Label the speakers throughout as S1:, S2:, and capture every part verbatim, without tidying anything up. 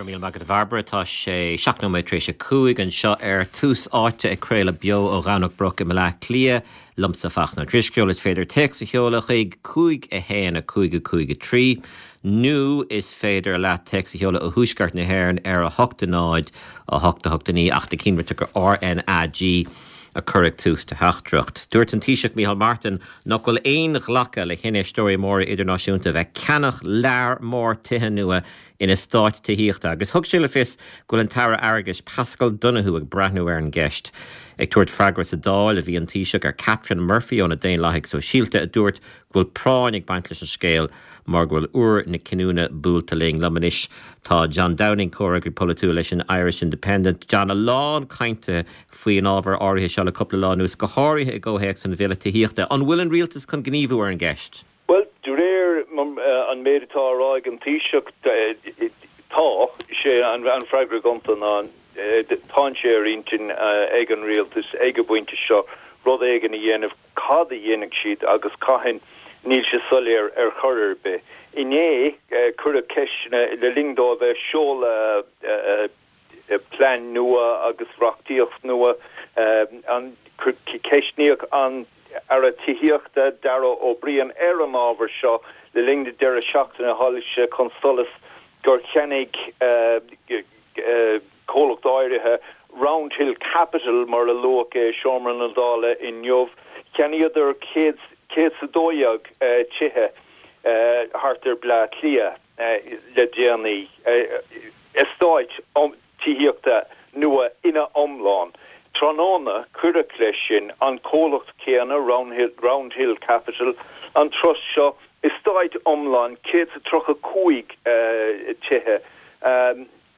S1: Go raibh míle maith agat, a Bhairbre. Tá sé seacht nóiméad tar éis a cúig anseo ar Tús Áite, ag craoladh beo ó Dhomhnach Broc i mBaile Átha Cliath. Liomsa, Fachtna Ó Drisceoil. Is féidir téacs a sheoladh chuig cúig a haon a cúig a cúig a trí nó is féidir leat téacs a sheoladh ó thuaisceart na hÉireann ar a hocht a náid a hocht a hocht a naoi, ach déan cinnte gur R N A G a chur ag tús do theachtaireacht. Dúirt an Taoiseach Micheál Martin nach bhfuil aon ghlacadh le hinfheisteoirí móra idirnáisiúnta bheith ag ceannach lear mór tithe nua in eastáit tithíochta, agus thug sé le fios go bhfuil an tAire Airgeadais Paschal Donohoe ag breathnú ar an gceist. Ag tabhairt freagra sa Dáil a bhí an Taoiseach ar Catherine Murphy ó na Daonlathaigh Sóisialta, a dúirt go bhfuil práinn ag baint leis an scéal mar go bhfuil uair na cinniúna buailte linn. Liom anois tá John Downing, comhfhreagraí polaitiúil leis an Irish Independent. John, a lán cainte faoin ábhar áirithe seo le cúpla lá anuas, go háirithe i gcomhthéacs an bhille tithíochta. An bhfuil an rialtas chun gníomhú ar an gceist?
S2: Well, de réir an méid atá á rá ag an Taoiseach, tá sé an, an freagra gonta ná tá sé ar intinn ag an rialtas ag an bpointe seo rud éigin a dhéanamh. Cad a dhéanfaidh siad agus cathain, níl sé soiléir ar chor ar bith. Inné cuireadh ceisteanna le linn dó bheith ag seoladh plean nua agus reachtaíocht nua, an ceistníodh an Aire Tithíochta Darragh O'Brien ar an ábhar seo. Le linn na deireadh seachtaine tháinig sé chun solais gur cheannaigh comhlacht áirithe, Roundhill Capital mar a luadh é i seomra na Dála inniu, cheannaíodar céad céad is a dó dhéag tithe thart ar Bleá Cliath le déanaí, eastáit tithíochta nua ina iomlán. Tráthnóna cuireadh leis sin an comhlacht céanna, Roundhill, Roundhill Capital, an trust seo, eastát iomlán céad is tríocha cúig tithe,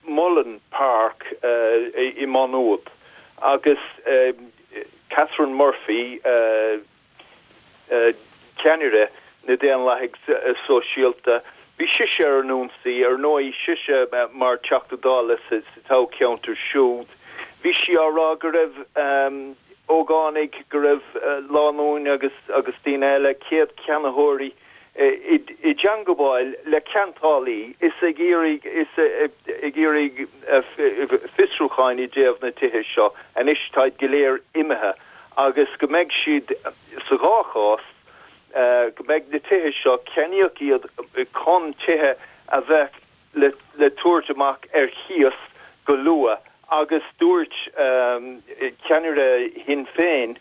S2: Mullen Park i Má Nuad, agus Catherine Murphy, ceannaire na Daonlathaigh Sóisialta, bhí sise ar an ionsaí, ar ndóigh, sise mar Teachta Dála sa toghcheantar siúd. Bhí sí á rá go raibh ógánaigh, go raibh lánúin agus agus daoine eile, céad ceannaitheoirí, i dteangabháil le ceantálaí is ag iarraidh is ag iarraidh fiosrúcháin i dtaobh na tithe seo. Anois táid go léir imithe agus go mbeidh siad sa dhá chás, go mbeidh na tithe seo, ceannaíodh iad chun tithe a bheith le le tabhairt amach ar chíos go luath, agus dúirt ceannaire Shinn Féin,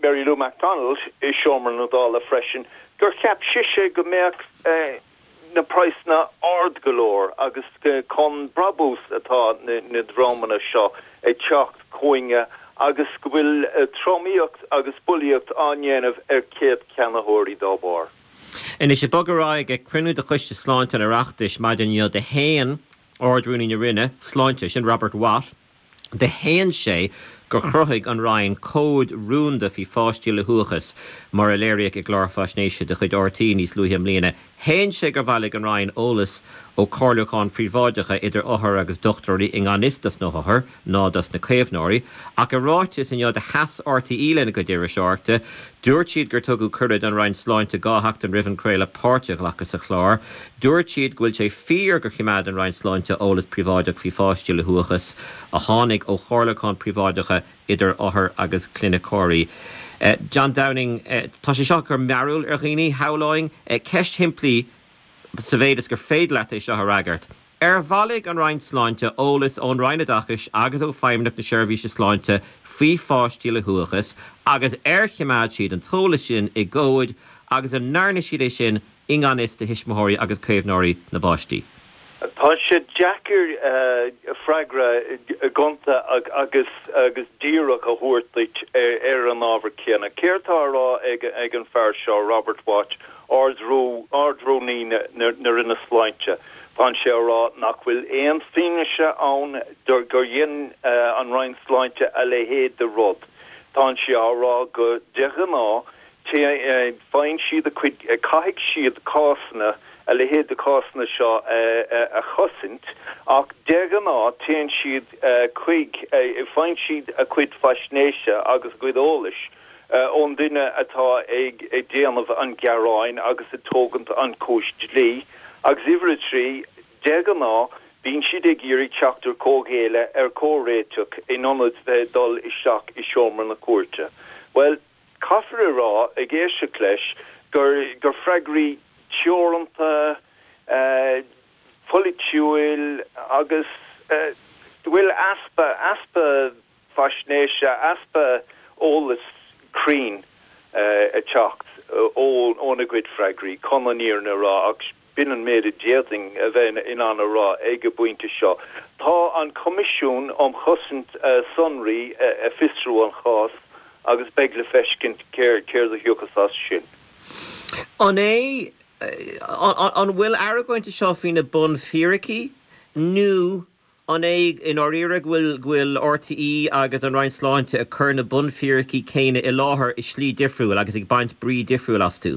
S2: Mary Lou McDonald, i seomra na Dála freisin gur cheap sise go mbeadh na praghsanna ard go leor agus chun brabús atá na na dreamanna seo ag teacht chugainne agus go bhfuil tromaíocht agus bulaíocht á ndéanamh ar chéad cheannaitheoirí dá bharr.
S1: Anois, ag bogadh ar aghaidh, ag cruinniú de Choiste Sláinte an Oireachtais maidin inniu do shéan Ard-Rúnaí na Roinne Sláinte, sin Robert Watt, do shéan sé gur chruthaigh an Roinn comhaid rúnda faoi pháistí le huathachas, mar a léiríodh i gclár faisnéise de chuid R T E níos luaithe i mbliana. Shéan sé gur bhailigh an Roinn eolas ó chomhairliúcháin phríobháideacha idir othair agus dochtúirí i ngan fhios dos na hothair ná dos na caomhnóirí. Ach i ráiteas inniu do sheas R T E lena gcuid iriseoireachta. Dúirt siad gur tugadh cuireadh don Roinn Sláinte dhá sheachtain roimh an chraoladh páirt a ghlacadh sa chlár. Dúirt siad go bhfuil sé fíor gur choimeád an Roinn Sláinte eolas príobháideach faoi pháistí le huathachas a tháinig ó chomhairliúcháin príobháideacha idir othair agus cliniceoirí. John Downing, tá sé seo ag cur mearbhall ar dhaoine, shamhlóinn. Ceist shimplí, sa mhéid is gur féidir leat é seo a fhreagairt. Ar bhailigh an Roinn Sláinte eolas ón Roinn Oideachais agus ó Feidhmeannacht na Seirbhíse Sláinte faoi pháistí le huathachas agus ar choimeád siad an t-eolas sin i gcomhaid agus an ndearna siad é sin i ngan fhios do thuismitheoirí agus caomhnóirí na bpáistí?
S2: Tá sé deacair freagra gonta agus agus díreach a thabhairt duit ar an ábhar céanna. Céard tá á rá ag ag an fear seo, Robert Watt, Ard-Rúnaí na Roinne Sláinte? Tá sé á rá nach bhfuil aon fianaise ann gur dhein an Roinn Sláinte a leithéid de rud. Tá sé á rá go de ghnáth faigheann siad a cuid, caithfidh siad cásanna, a leithéid de cásanna seo a chosaint, ach de ghnáth téann siad chuig, faigheann siad a cuid faisnéise agus a gcuid eolais ón duine atá ag déanamh an ghearáin agus ag tógaint an cúis dlí. Agus uimhir a trí, de ghnáth Bíonn siad ag iarraidh teacht ar comhghéilleadh ar comhréiteach in ionad bheith dul isteach i seomra na cúirte. Bhuel, caithfear a rá ag éisteacht leis gur gur freagraí teoranta, polaitiúil agus bhfuil easpa easpa faisnéise, easpa eolas cruinn ag teacht óna gcuid freagraí chun an fhírinne a rá ach b'in an méid a d'fhéadfainn a bheith in ann a rá ag an bpointe seo. Tá an Coimisiún um Chosaint Sonraí ag fiosrú an chás agus beidh le feiscint céard a thiocfas as sin.
S1: An é an bhfuil argóint seo faoi na bunfhíricí nó an é i ndáiríre go bhfuil go bhfuil RTÉ agus an Roinn Sláinte ag cur na bunfhíricí céanna i láthair i slí difriúil agus ag baint brí difriúil astu?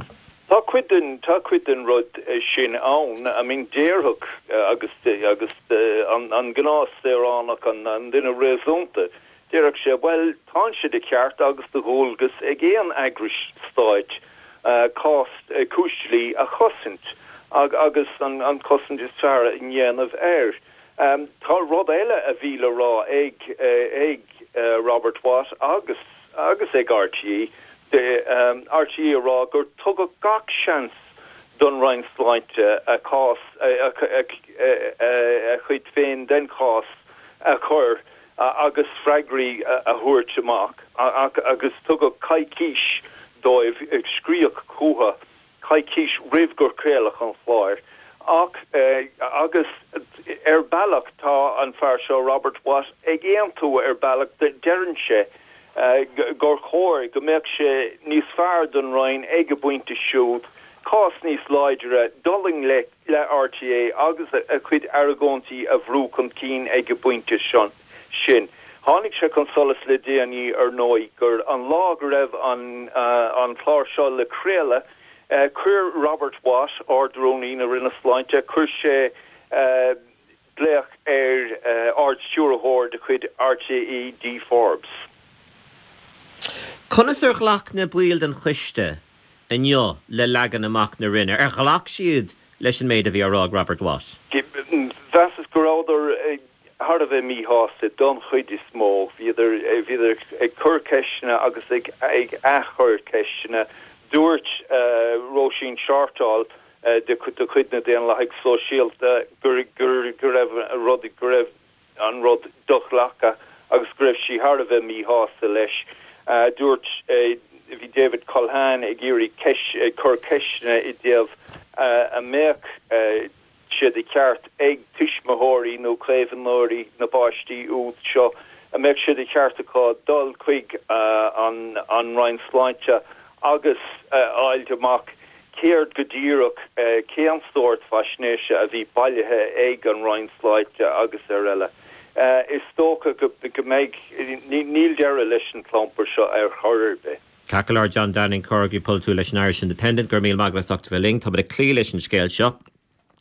S2: Tá cuid den tá cuid den rud sin ann. I mean déarfadh agus agus an an gnáthshaoránach an an duine réasúnta, déarfadh sé bhuel tá sé de cheart agus de dhualgas ag aon eagrais stáit cás cúis dlí a chosaint agus an an cosaint is fearr a dhéanamh air. Um, tá rud eile a bhí le rá ag ag Robert Watt agus agus ag RTÉ de um, RTÉ a rá gur tugadh gach seans don Roinn Sláinte a cás a, a, a, a chuid féin den chás a chur agus freagraí a thabhairt amach agus tugadh coicís dóibh ag scríobh chucu coicís roimh gur craoladh an clár. Ach eh, agus ar bealach tá an fear seo Robert Watt ag aontú ar bealach deireann sé uh, gur chóir go mbeadh sé níos fearr don Roinn ag an bpointe siúd, cás níos láidre dul i ngleic le RTÉ agus a, a chuid argóintí a bhrú chun cinn ag an bpointe sin. Tháinig sé chun solais le déanaí ar ndóigh gur an lá go raibh an, uh, an clár seo le craoladh, uh, chuir Robert Watt Ard-Rúnaí na Roinne Sláinte, chuir sé uh, glaoch ar uh, Ard-Stiúrthóir de chuid RTÉ Dee Forbes.
S1: Conas ar ghlac na baill den choiste inniu le leagan amach na Roinne, ar ghlac siad leis an méid a bhí á rá ag Robert Watt?
S2: Mheasas go rabhadar thar a bheith míshásta don chuid is mó, bhíodar bhíodar ag cur ceisteanna agus ag ag athchur ceisteanna. Dúirt uh, Róisín Shortall uh, de de chuid na Daonlathaigh Sóisialta gur gur gur raibh rud go raibh an rud do-ghlactha agus go raibh sí thar a bheith míshásta leis. Uh, dúirt uh, bhí David Culhane ag iarraidh ag cur ceisteanna i dtaobh uh, a mbeadh uh, sé de cheart ag tuismitheoirí nó caomhnóirí na bpáistí úd seo a mbeadh sé de cheart acu dul chuig uh, an, an Roinn Sláinte agus uh, fháil amach céard go díreach uh, cén sórt faisnéise a bhí bailithe ag an Roinn Sláinte agus ar eile. Uh, is dócha go, go mbeidh níl deireadh leis an clampar seo ar chor ar bith.
S1: Ceart John Downing comhfhreagraí polaitiúil leis an Irish Independent gur míle maith agat as ucht bheith linn, Tá ag cloí leis an scéal seo.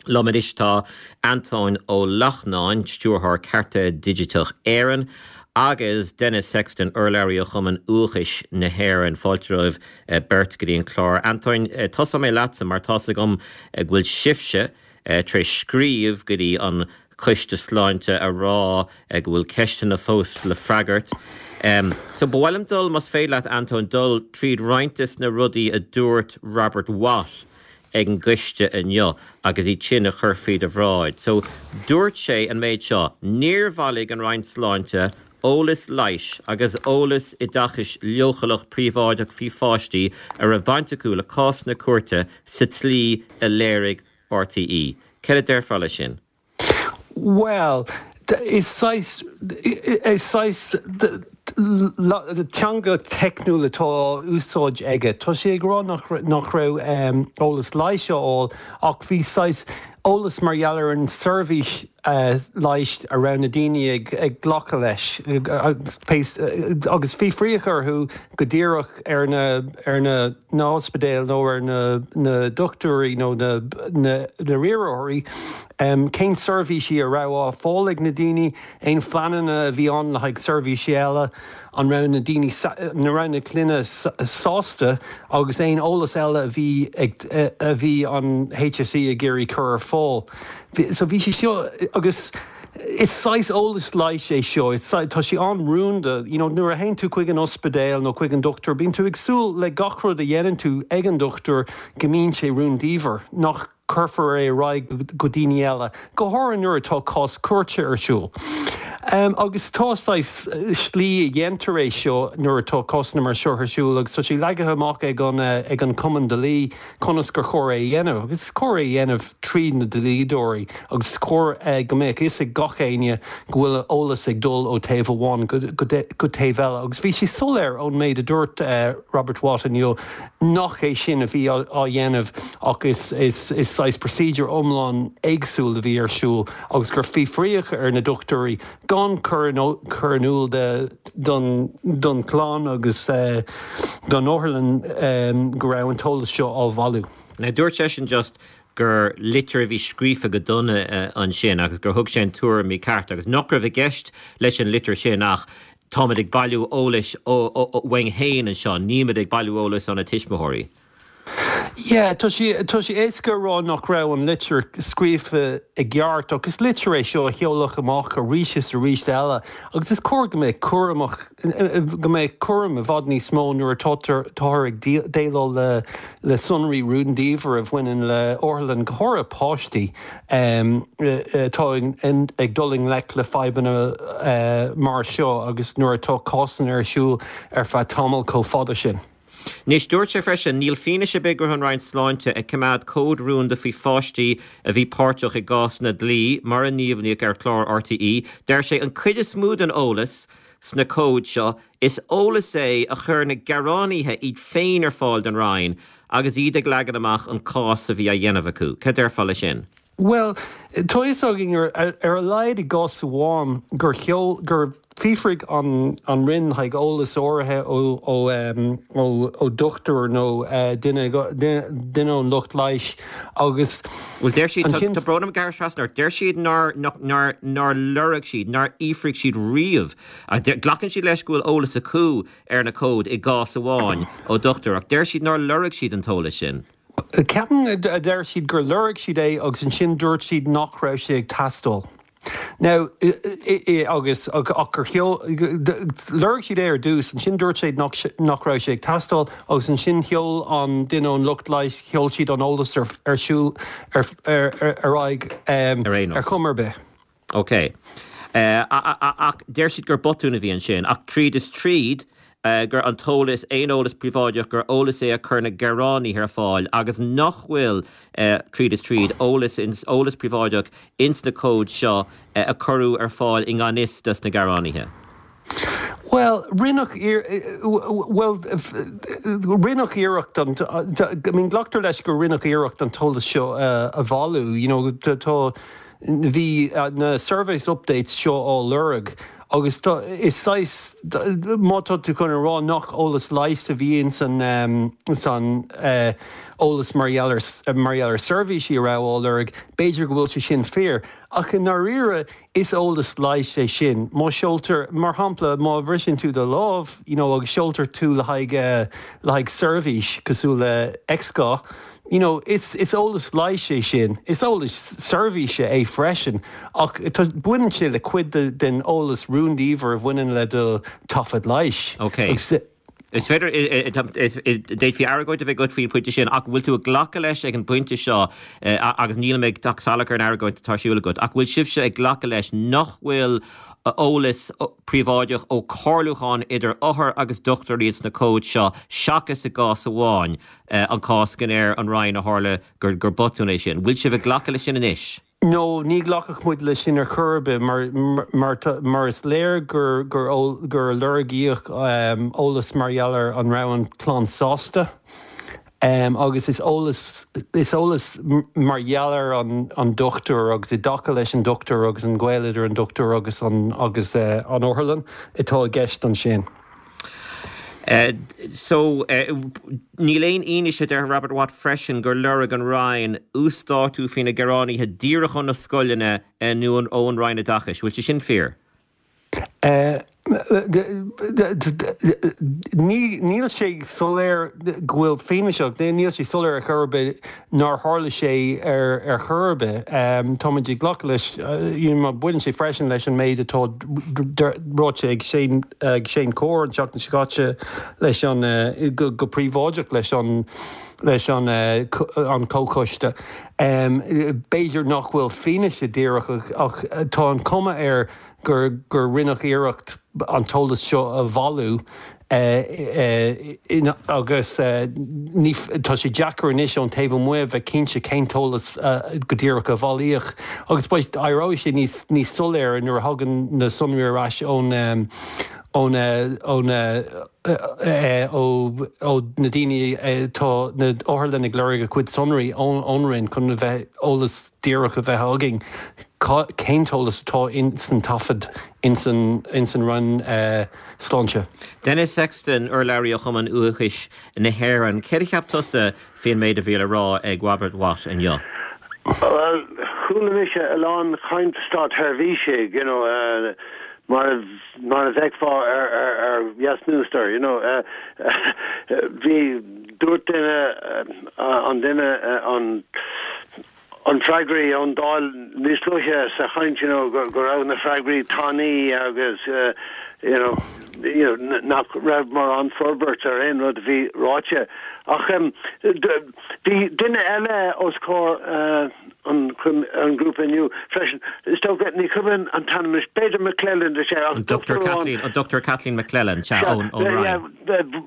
S1: Liom anois tá Antóin Ó Lachtnáin, stiúrthóir Cearta Digiteach Éireann, agus Denis Sexton urlabhraí ó Chumann Uathachais na hÉireann fáilte romhaibh beirt go dtí an clár. Antóin tosóidh mé leatsa mar tá agam go bhfuil sibhse tar éis scríobh go dtí an Coiste Sláinte a rá go bhfuil ceisteanna fós le freagairt. Um, so ba mhaith liom dul más féidir leat Antóin dul tríd roinnt des na rudaí a dúirt Robert Watt ag an gcoiste inniu agus iad sin a chur faoi do bhráid. So dúirt sé an méid seo, níor bhailigh an Roinn Sláinte eolas leighis agus eolas oideachais leochaileach príobháideach faoi pháistí a raibh baint acu le cás na cúirte sa tslí a léirigh RTÉ. Céard a déarfá leis sin?
S3: Well, is saghas is saghas teanga teicniúil atá úsáid aige. Tá sé ag rá nach nach raibh um, eolas leighis á fháil ach bhí saghas eolas mar gheall ar an seirbhís uh, leighis a raibh na daoine ag, ag glacadh leis agus, agus fiafraíodh orthu go díreach ar na ar na na ospidéil nó ar na na dochtúirí nó na na, na riarthóirí um, cén seirbhísí a raibh á fáil ag na daoine aon phleananna a bhí ann le haghaidh seirbhísí eile an raibh na daoine na raibh na clainne sásta agus aon eolas eile a bhí a bhí an HSE ag iarraidh cur ar fáil. So bhí sé seo agus is saghas eolas leighis é seo, tá sé an-rúnda, you know, nuair a théann tú chuig an ospidéal nó chuig an dochtúir, bíonn tú ag súil le gach rud a dhéanann tú ag an dochtúir go mbíonn sé rúndiamhair, nach cuirfear é ar aghaidh go daoine eile, go háirithe nuair atá cás cúirte ar siúl. Um, agus tá saghas slí a dhéantar é seo nuair atá cásanna mar seo ar siúl agus tá sé leagtha amach ag an ag an Cumann Dlí conas gur chóir é dhéanamh, agus is cóir é dhéanamh trí na dlíodóirí agus is cóir go mbeadh fhios ag gach éinne go bhfuil eolas ag dul ó taobh amháin go, go, go taobh eile. agus bhí sé soiléir ón méid a dúirt uh, Robert Watt inniu nach é sin a bhí á dhéanamh agus is, is saghas procedure iomlán éagsúil a bhí ar siúl agus gur fiafraíodh ar na dochtúirí gan cur cur in iúl de don don chlann agus uh, don otharlann um, go raibh an t-eolas seo á bhailiú.
S1: Now dúirt seisean just gur litir a bhí scríofa go dona uh, ansin agus gur thug sé an tuairim mícheart agus nach raibh i gceist leis an litir sin ach táimid ag bailiú eolais uainn féin anseo, nílimid ag bailiú eolas ó na tuismitheoirí.
S3: Yeah, tá sé tá sé éasca rá nach raibh an litir scríofa i gceart agus litir é seo a sheoladh amach arís is arís eile, agus is cóir go mbeadh cúramach go mbeadh cúram i bhfad níos mó nuair atáthar ag déileáil le le sonraí rúndiamhair a bhaineann le otharlann go háirithe páistí atá ag dul i ngleic le fadhbanna mar seo agus nuair atá cásanna ar siúl ar feadh tamall chomh fada sin.
S1: Anois dúirt sé freisin níl fianaise ar bith go raibh an Roinn Sláinte ag coimeád comhad rúnda faoi pháistí a bhí páirteach i gcásanna dlí mar a líomhnaíodh ar chlár RTÉ, deir sé an chuid is mó den eolas sna comhaid seo is eolas é a chuir na gearánaithe iad féin ar fáil don Roinn agus iad ag leagan amach an cás a bhí á dhéanamh acu. Cad déarfá leis sin?
S3: Well, tá fhios againn ar, ar a laghad i gcás amháin gur sheol gur fiafraigh an an Roinn le haghaidh eolas áirithe ó ó um, ó, ó dochtúir nó uh, duine duine ón lucht leighis agus
S1: Well deir siad tá brón orm gearradh trasna deir siad nár nár nár lorg siad nár fhiafraigh siad riamh glacann siad leis go bhfuil eolas acu ar na comhaid i gcás amháin ó dochtúir ach deir siad nár lorg siad an t-eolas sin.
S3: Ceapaim a deir siad gur lorg siad é agus ansin dúirt siad nach raibh sé ag teastáil. Now agus ach gur lorg siad é ar dtús ansin dúirt siad nach raibh sé ag teastáil agus ansin sheol an duine ón lucht leighis sheol siad an eolas ar ar siúl ar ar aghaidh ar chuma ar bith.
S1: Ok. Ach deir siad gur botún a bhí ansin ach tríd is tríd gur an t-eolas aon eolas príobháideach gur eolas é a chuir na gearánaithe ar fáil agus nach bhfuil tríd is tríd eolas eolas príobháideach ins na comhaid seo a cuireadh ar fáil i ngan fhios dos na gearánaithe.
S3: Well, rinneadh well rinneadh iarracht an I mean glactar leis gur rinneadh iarracht an t-eolas seo a bhailiú, you know, tá bhí na service updates seo á lorg agus is saghas má tá tú chun rá nach eolas leighis a bhí san san eolas mar gheall mar gheall ar seirbhísí a raibh á lorg, b'fhéidir go bhfuil sé sin fíor. Ach i ndáiríre is eolas leighis é sin. Má seoltar mar shampla má bhriseann tú do lámh you know, agus seoltar tú le haghaidh le haghaidh seirbhís cosúil le X-gha, you know, is, is eolas leighis é sin, is eolas seirbhíse é freisin, ach baineann sé le cuid de, den eolas rúndiamhair a bhaineann le do taifead leighis.
S1: Ok. Is féidir d'fhéadfaí argóint a bheith agat faoin pointe sin ach bhfuil tú ag glacadh leis ag an bpointe seo agus níl mé ag teacht salach ar an argóint atá ar siúl agat, ach bhfuil sibhse ag glacadh leis nach bhfuil eolas príobháideach ó chomhairliúchán idir othar agus dochtúirí sna comhaid seo seachas i gcás amháin an cás go ndeir an Roinn a tharla gur gur botún é sin. Bhfuil sibh ag glacadh leis sin anois?
S3: No, ní ghlacfadh muid leis sin ar chor ar bith mar mar mar is léir gur gur gur lorgaíodh um, eolas mar gheall ar an raibh an chlann sásta. Um, agus is eolas is eolas mar gheall ar an, an dochtúir agus i dtaca leis an dochtúir agus an gaol idir an dochtúir agus an agus uh, an otharlann atá i gceist ansin.
S1: Uh, so uh, níl aon fhianaise deir Robert Watt freisin gur lorg an Roinn uasdátú faoi na gearánaithe díreach ó na scoileanna nó ón Roinn Oideachais, bhfuil sé sin fíor?
S3: Níl sé soiléir go bhfuil fianaise, níl sé soiléir ar chor ar bith nár tharla sé ar ar chor ar bith. Táimid ag glacadh leis baineann sé freisin leis an méid atá ráite ag Shane ag Shane Corr an tseachtain seo caite leis an go go príobháideach leis an leis an an comhchoiste. B'fhéidir nach bhfuil fianaise díreach ach tá an cuma air gur gur rinneadh iarracht an t-eolas seo a bhailiú agus ní tá sé deacair anois ón taobh amuigh bheith cinnte cén t-eolas go díreach a bailíodh agus beidh éireoidh sé níos níos soiléire nuair a thagann na sonraí ar ais ón ón ón ó ó na daoine tá na otharlanna ag lorg a cuid sonraí ón ón Roinn chun a bheith eolas díreach a bheith againn cén t-eolas atá in san taifead in san in san Roinn Sláinte.
S1: Denis Sexton urlabhraí ó Chumann Uathachais na hÉireann, céard a cheap tusa faoin méid a bhí le rá ag Robert Watt inniu?
S4: Well, chuala mise a lán caint státsheirbhísigh, you know, uh, mar mar a bheifeá ar ar ar Yes Minister, you know, uh, bhí dúirt duine uh, an duine uh, an an freagraí ón Dáil níos luaithe sa chaint you know, go, go raibh na freagraí tanaí agus uh, you know, you know, nach raibh mórán forbairt ar aon rud bhí ráite. Ach um, bhí duine eile os comhair uh, an, an grúpa inniu freisin. Is dócha ní cuimhin an t-ainm b'fhéidir McClelland sé
S1: An Dr Kathleen an Dr Kathleen McClelland sea ón ón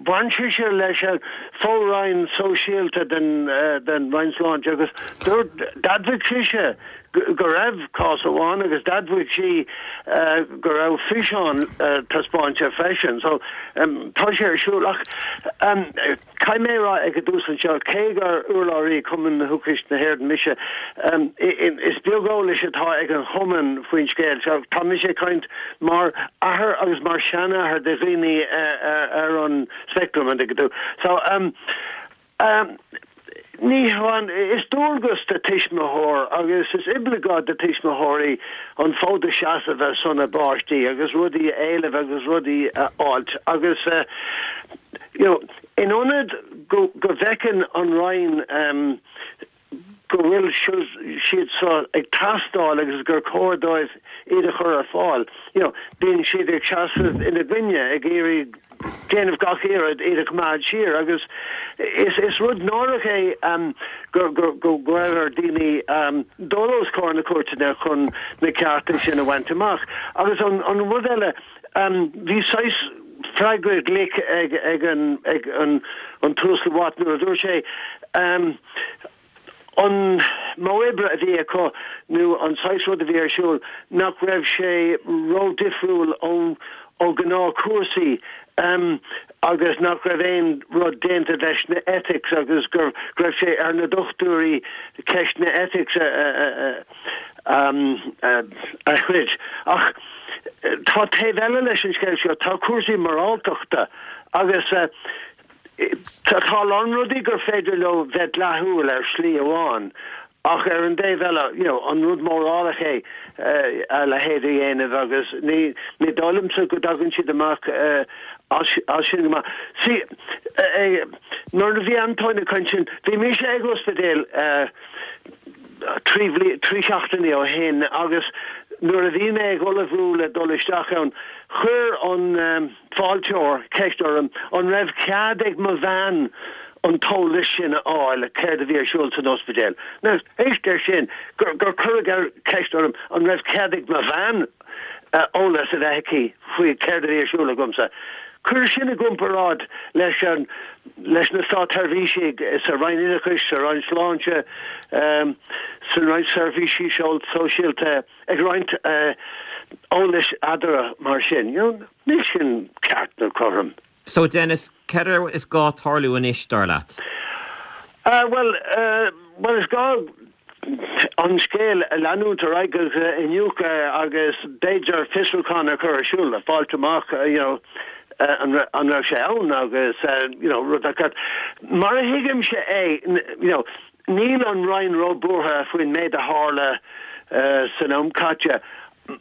S4: Bhain sé leis an fo-roinn sóisialta den uh, den Roinn Sláinte agus d'admhaigh sise go raibh cás amháin agus d'admhaigh sí uh, go raibh físeán uh, taispeánta freisin, so um, tá sé ar siúl ach um, caithfidh mé rá ag an dtús anseo cé gur urlabhraí Cumann Uathachais na hÉireann mise um, is beag eolais atá ag an chumann faoin scéal so tá mise ag caint mar athair agus mar seanathair de dhaoine uh, uh, ar an spectrum an tú. So um, um, Ní hamháin is dualgas de tuismitheoir agus is oibleagáid de tuismitheoirí an fód a sheasamh ar son a bpáistí agus rudaí a éileamh agus rudaí a fháilt agus uh, you know, in ionad go, go bhfeiceann an Roinn um, go bhfuil siad so ag teastáil agus gur cóir dóibh iad a chur ar fáil. You know, bíonn siad ag seasamh ina gcoinne ag iarraidh déanamh gach iarraidh iad a choimeád siar agus is is rud náireach é um, go go go go ar daoine um, dul os comhair na cúirteanna chun na cearta sin a bhaint amach. Agus an, an rud eile um, bhí saghas freagra glic ag ag an ag an an tUasal Watt nuair a dúirt sé um, an modh oibre a bhí acu nó an saghas rud a bhí ar siúl nach raibh sé ró-difriúil ó ó gnáthchúrsaí um, agus nach raibh aon rud déanta leis na ethics agus gur raibh sé ar na dochtúirí ceist na ethics a, a, a, um, a, a throid. Ach tá taobh eile leis an scéal seo tá cúrsaí moráltachta agus uh, Tá a lán rudaí gur féidir leo bheith dleathúil ar shlí amháin ach ar an dtaobh eile you know, an rud mórálach é uh, a leithéid a dhéanamh agus ní ní dóigh liomsa go dtagann siad amach uh, as sin go maith. Sí uh, nuair a bhí Antoine ag caint sin, bhí mise ag ospidéal uh, trí trí seachtainí ó shin agus nuair a bhí mé ag ullmhú le dul isteach ann chuir an um, fáilteoir ceist orm an raibh cead ag mo bhean an t-eolas sin a fháil céard a bhí ar siúl san ospidéal. Now éist ar sin gur gur cuireadh ceist orm an raibh cead ag mo bhean uh, eolas a bheith aici faoi céard a bhí ar siúl agamsa. Cuir sin i gcomparáid leis an leis na státsheirbhísigh sa Roinn Oideachais, sa Roinn Sláinte, um, sa Roinn Seirbhísí Sóisialta ag roinnt uh, eolais eatarthu mar sin. You know, níl sin ceart nó cothrom.
S1: So Denis, céard is gá tarlú anois dar leat?
S4: Uh, well, uh, well is gá an scéal a leanúint ar aghaidh iniúchadh agus b'fhéidir fiosrúchán a chur ar siúl le fáilt amach uh, you know, uh, an an raibh sé ann agus uh, you know, rud agat. Mar a thuigimse é you know, níl an Roinn róbhuartha faoin méid a tharla uh, san am caite.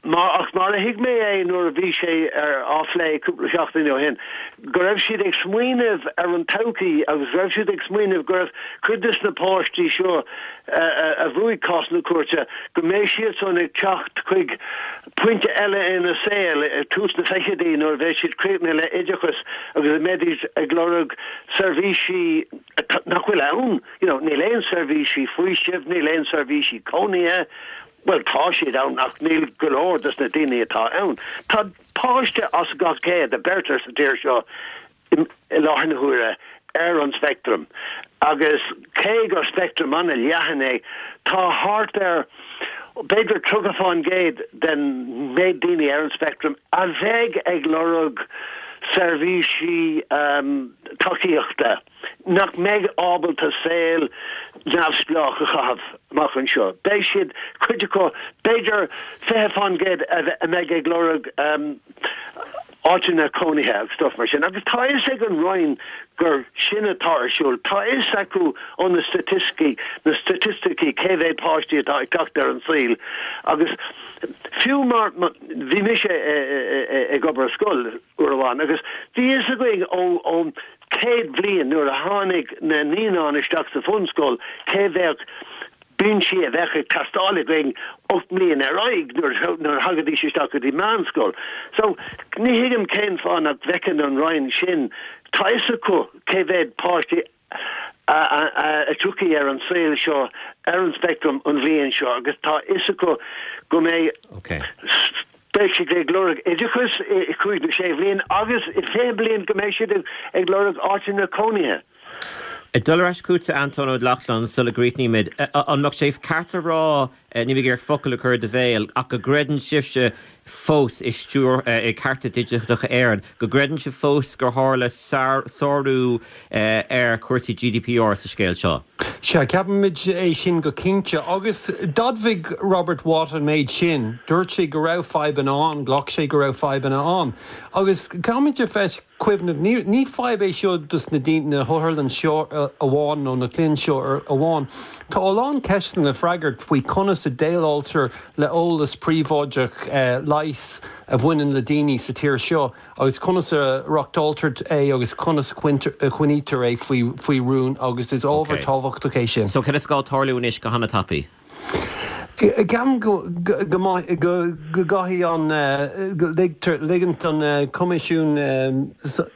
S4: Mar, ach mar a thuig mé é nuair a bhí sé ar á phlé cúpla seachtain ó shin, go raibh siad ag smaoineamh ar an todhchaí agus go raibh siad ag smaoineamh go raibh cuid de na páistí seo a bhuaigh cás na cúirte, go mbeidh siadsan ag teacht chuig pointe eile ina saol, ag tús na fichidí nuair a bheidh siad críochnaithe le oideachas agus a mbeidís ag lorg seirbhísí nach bhfuil ann, you know, níl aon seirbhísí faoisimh, níl aon seirbhísí cónaithe, bhuel tá siad ann ach níl go leor dos na daoine atá ann. Tá páiste as gach céad a bheirtear sa tír seo i láthair na huaire ar an speictream agus cé gur speictream an-leathan é, tá thart ar b'fhéidir tríocha fán gcéad den méid daoine ar an speictream a bheidh ag lorg seirbhísí tacaíochta nach mbeidh ábalta saol neamhspleách a chaitheamh amach anseo. Beidh siad, cuid acu, b'fhéidir fiche fán gcéad a mbeidh ag lorg áiteanna cónaithe agus stuff mar sin. Agus tá a fhios ag an Roinn gur sin atá ar siúl. Tá a fhios acu ó na staitisticí, na staitisticí cé mhéad páistí atá ag teacht ar an saol. Agus fiú mar, bhí mise ag obair i scoil uair amháin agus bhí a fhios againn ó, ón chéad bhliain nuair a tháinig na naíonáin isteach sa bhunscoil cé mhéad binsí a bheadh ag teastáil againn ocht mbliain ar aghaidh nuair a thagaidís isteach go dtí meánscoil. So, ní thuigim cén fáth nach bhfeiceann an Roinn sin. Tá a fhios acu cé mhéad páistí a tiocfaidh ar an saol seo ar an speictream an bhliain seo agus tá a fhios acu go mbeidh beidh siad ag lorg oideachas i cúig nó sé bhliain agus i fiche bliain go mbeidh siad ag lorg áiteanna cónaithe.
S1: Ag dul ar ais chugatsa, Antóin Ó Lochlainn, sula gcríochnaímid, an mbeadh sé ceart a rá, níl mé ag iarraidh focal a chur i do bhéal, ach go gcreideann sibhse fós i stiúir, i Cearta Digiteacha Éireann, go gcreideann sibh fós gur tharla sárú ar chúrsaí GDPR sa scéal seo?
S3: Sea, ceapaimid é sin go cinnte. Agus d'admhaigh Robert Watt an méid sin. Dúirt sé go raibh fadhbanna ann, ghlac sé go raibh fadhbanna ann. Agus caithfimid a bheith cuimhneamh, ní fadhb é seo dos na daoine, na hotharlann seo amháin nó na clainn seo amháin. Tá a lán ceisteanna le freagairt faoi conas a déileáiltear le eolas príobháideach leighis a bhaineann le daoine sa tír seo agus conas a reáchtáiltear é agus conas a choinnítear é faoi rún agus is ábhar tábhachtach é sin.
S1: So cad is gá tarlú anois go han-tapaidh?
S3: Ceapaim go gcaithfidh an, go ligtear, ligean don Choimisiún,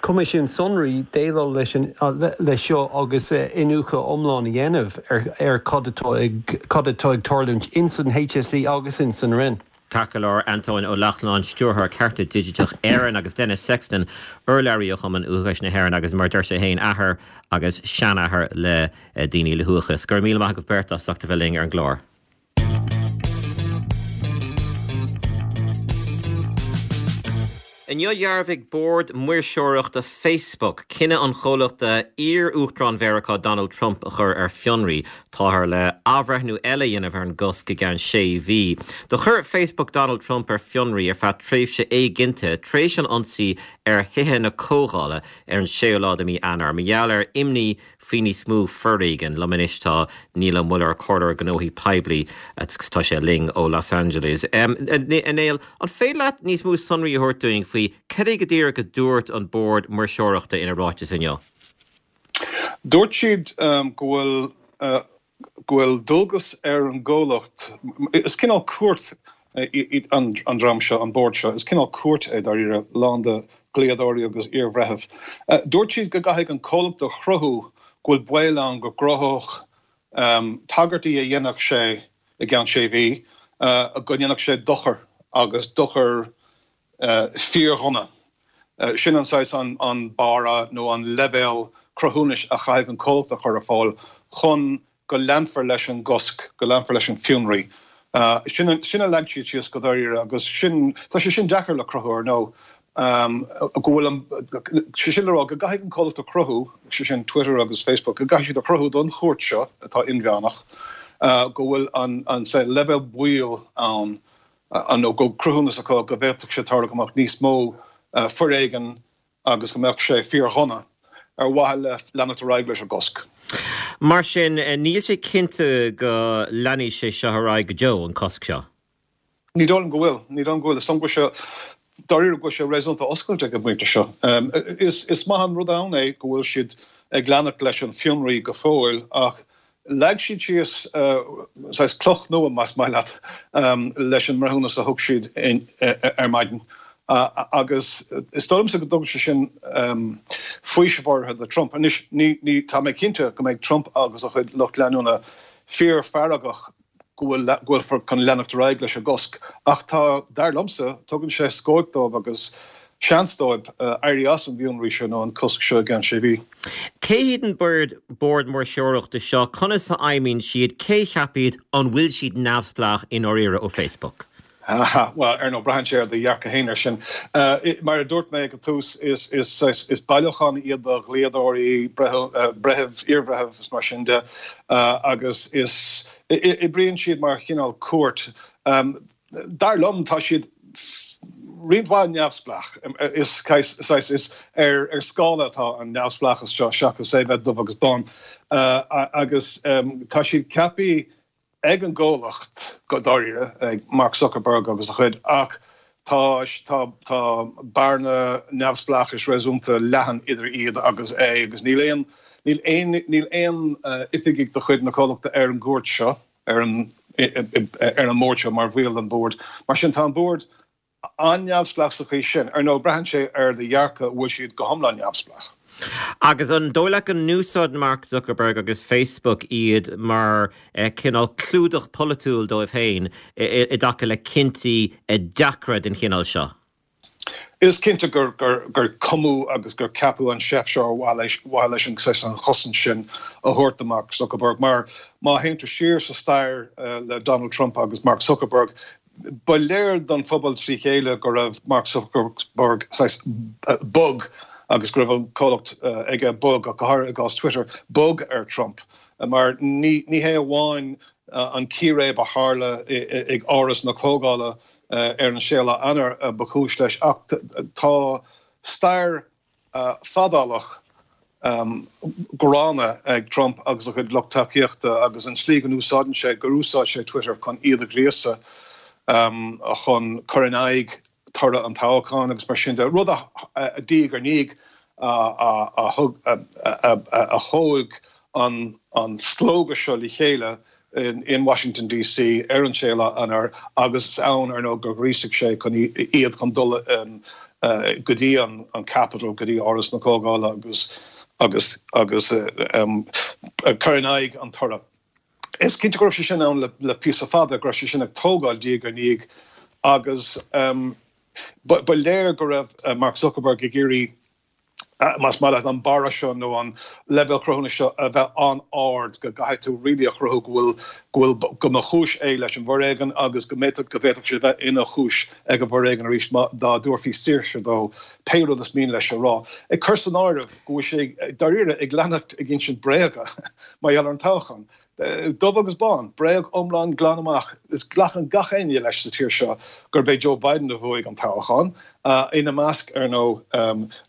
S3: Coimisiún Sonraí déileáil leis an, leis seo agus iniúchadh iomlán a dhéanamh ar, ar cad atá ag, cad atá ag tarlúint ins an HSE agus ins an Roinn.
S1: Ceart go leor, Antóin Ó Lochlainn, Stiúrthóir Cearta Digiteach Éireann agus Denis Sexton, urlabhraí ó Chumann Uathachais na hÉireann agus mar a deir sé féin, athair agus seanathair le daoine le huathachas. Go raibh míle maith agaibh beirt as ucht a bheith linn ar an gclár. Inniu dhearbhaigh bord maoirseoireachta Facebook cinneadh an chomhlachta iar-uachtarán Mheiriceá Donald Trump a chur ar fionraí. Táthar le athbhreithniú eile a dhéanamh ar an gcosc i gceann sé mhí. Do chuir Facebook Donald Trump ar fionraí ar feadh tréimhse éiginnte tar éis an ionsaí ar Thithe na Comhdhála ar an séú lá de mhí Eanáir mar gheall ar imní faoi níos mó foréigin. Liom anois tá Niall Ó Muilleoir, Comhairleoir Gnóthaí Poiblí agus tá sé linn ó Los Angeles. A Néill, an féidir leat níos mó sonraí a thabhairt dúinn faoi cad é go díreach a dúirt an Bord Maoirseoireachta ina ráiteas inniu?
S5: Dúirt siad go bhfuil go bhfuil dualgas ar an gcomhlacht, is cineál cúirt an dream seo, an bord seo, is cineál cúirt é dáiríre, lán de dhlíodóirí agus iarbhreithimh. Dúirt siad go gcaithfidh an comhlacht a chruthú go bhfuil baol ann go gcruthódh tagairtí a dhéanfadh sé i gceann sé mhí, go ndéanfadh sé dochar agus dochar fíordhona. Sin an saghas an barra nó an leibhéal cruthúnais a chaithfidh an comhlacht a chur ar fáil chun go leanfar leis an gcosc, go leanfar leis an bhfionraí. Sin a leag siad síos go dáiríre agus sin, tá sé sin deacair le cruthú ar ndóigh, go bhfuil an, sé sin le rá go gcaithfidh an comhlacht a chruthú, sé sin Twitter agus Facebook, go gcaithfidh siad a chruthú don chúirt seo atá inmheánach, go bhfuil an, an leibhéal baoil ann nó go cruthúnas acu go bhféadfadh sé tarlú go mbeadh níos mó foréigin agus go mbeadh sé fíordhona ar mhaithe le leanacht ar aghaidh leis an gcosc.
S1: Mar sin, níl sé cinnte go leanfaidh sé seo ar aghaidh go deo, an cosc seo?
S5: Ní dóigh liom go bhfuil. Ní dóigh liom go bhfuil. Is dóigh liom go bhfuil sé, dáiríre, go bhfuil sé réasúnta oscailte ag an bpointe seo. Is, is maith an rud ann é go bhfuil siad ag leanacht leis an bhfionraí go fóill ach leag siad síos saghas cloch nua, más maith leat, leis an mbreithiúnas a thug siad ar maidin. Agus is dóigh liomsa go dtugann sé sin faoiseamh áirithe do Trump. Anois, ní, ní, tá mé cinnte go mbeidh Trump agus a chuid lucht leanúna fíorfheargach go bhfuil go bhfuilfear chun leanacht ar aghaidh leis an gcosc, ach tá, dar liomsa, tugann sé scóip dóibh agus seans dóibh éirí as an bhfionraí seo nó an cosc seo i gceann sé mhí.
S1: Cé hiad an bord bord maoirseoireachta seo? Conas a fheidhmíonn siad? Cé cheap iad? An bhfuil siad neamhspleách i ndáiríre ó Facebook?
S5: Bhuel, ar ndóigh, braitheann sé ar do dhearcadh féin air sin. Mar a dúirt mé ag an tús, is is bailiúchán iad de dhlíodóirí, breithimh, iarbhreithimh is mar sin de, agus is oibríonn siad mar chineál cúirt. Dar liom, tá siad roinnt mhaith neamhspleách. Is saghas is ar ar scála atá an neamhspleáchas seo seachas é bheith dubh agus bán. Agus tá siad ceaptha ag an gcomhlacht go dáiríre, ag Mark Zuckerberg agus a chuid, ach tá tá tá bearna neamhspleáchais réasúnta leathan idir iad agus é agus níl aon níl aon níl aon oifigigh de chuid na comhlachta ar an gcúirt seo, ar an ar an mbord seo mar bhaill den bhord. Mar sin tá an bord an-neamhspleách sa chaoi sin. Ar ndóigh, braitheann sé ar do dhearcadh an bhfuil siad go hiomlán neamhspleách.
S1: Agus an dóigh leat go n-úsáideann Mark Zuckerberg agus Facebook iad mar cineál clúdach polaitiúil dóibh féin i dtaca le cinntí deacra den chineál seo?
S5: Is cinnte gur gur cumadh agus gur ceapadh an seift seo ar mhaithe leis an an chosaint sin a thabhairt do Mark Zuckerberg mar má théann tú siar sa stair le Donald Trump agus Mark Zuckerberg, ba léir don phobal trí chéile go raibh Mark Zuckerberg saghas bog agus go raibh an comhlacht aige bog, ach go háirithe i gcás Twitter, bog ar Trump. Mar ní ní hé amháin an círéib a tharla ag Áras na Comhdhála ar an séú lá Eanáir ba chúis leis ach tá stair fadálach gránna ag Trump agus a chuid lucht tacaíochta agus an tslí go n-úsáideann sé, gur úsáid sé Twitter chun iad a ghríosadh chun cur in aghaidh toradh an toghcháin agus mar sin de, rud a diaidh ar ndiaidh a thug a thóg an an slógadh seo le chéile in Washington DC ar an séú lá Eanáir agus is ann ar ndóigh gur ghríosaigh sé chun iad chun dul go dtí an Capitol, go dtí Áras na Comhdhála agus agus agus cur in aghaidh an toradh. Is cinnte go raibh sé sin ann le píosa fada, go raibh sé sin ag tógáil diaidh ar ndiaidh agus ba léir go raibh Mark Zuckerberg ag iarraidh más maith leat, an barra seo nó an leibhéal cruthúnais seo a bheith an-ard, go gcaithfidh tú really a chruthú go bhfuil, go bhfuil, go mba chúis é leis an bhforéigean agus go mbeadh, go bhféadfadh sé bheith ina chúis ag an bhforéigean arís má, dá dtabharfaí saoirse dó pé rud is mian leis a rá. Ag cur san áireamh go bhfuil sé dáiríre ag leanacht ag insint bréaga mar gheall ar an toghchán. Dubh agus bán, bréag iomlán glan amach. Is glacann gach éinne leis sa tír seo gurb é Joe Biden a bhuaigh an toghchán. Ina measc, ar ndóigh,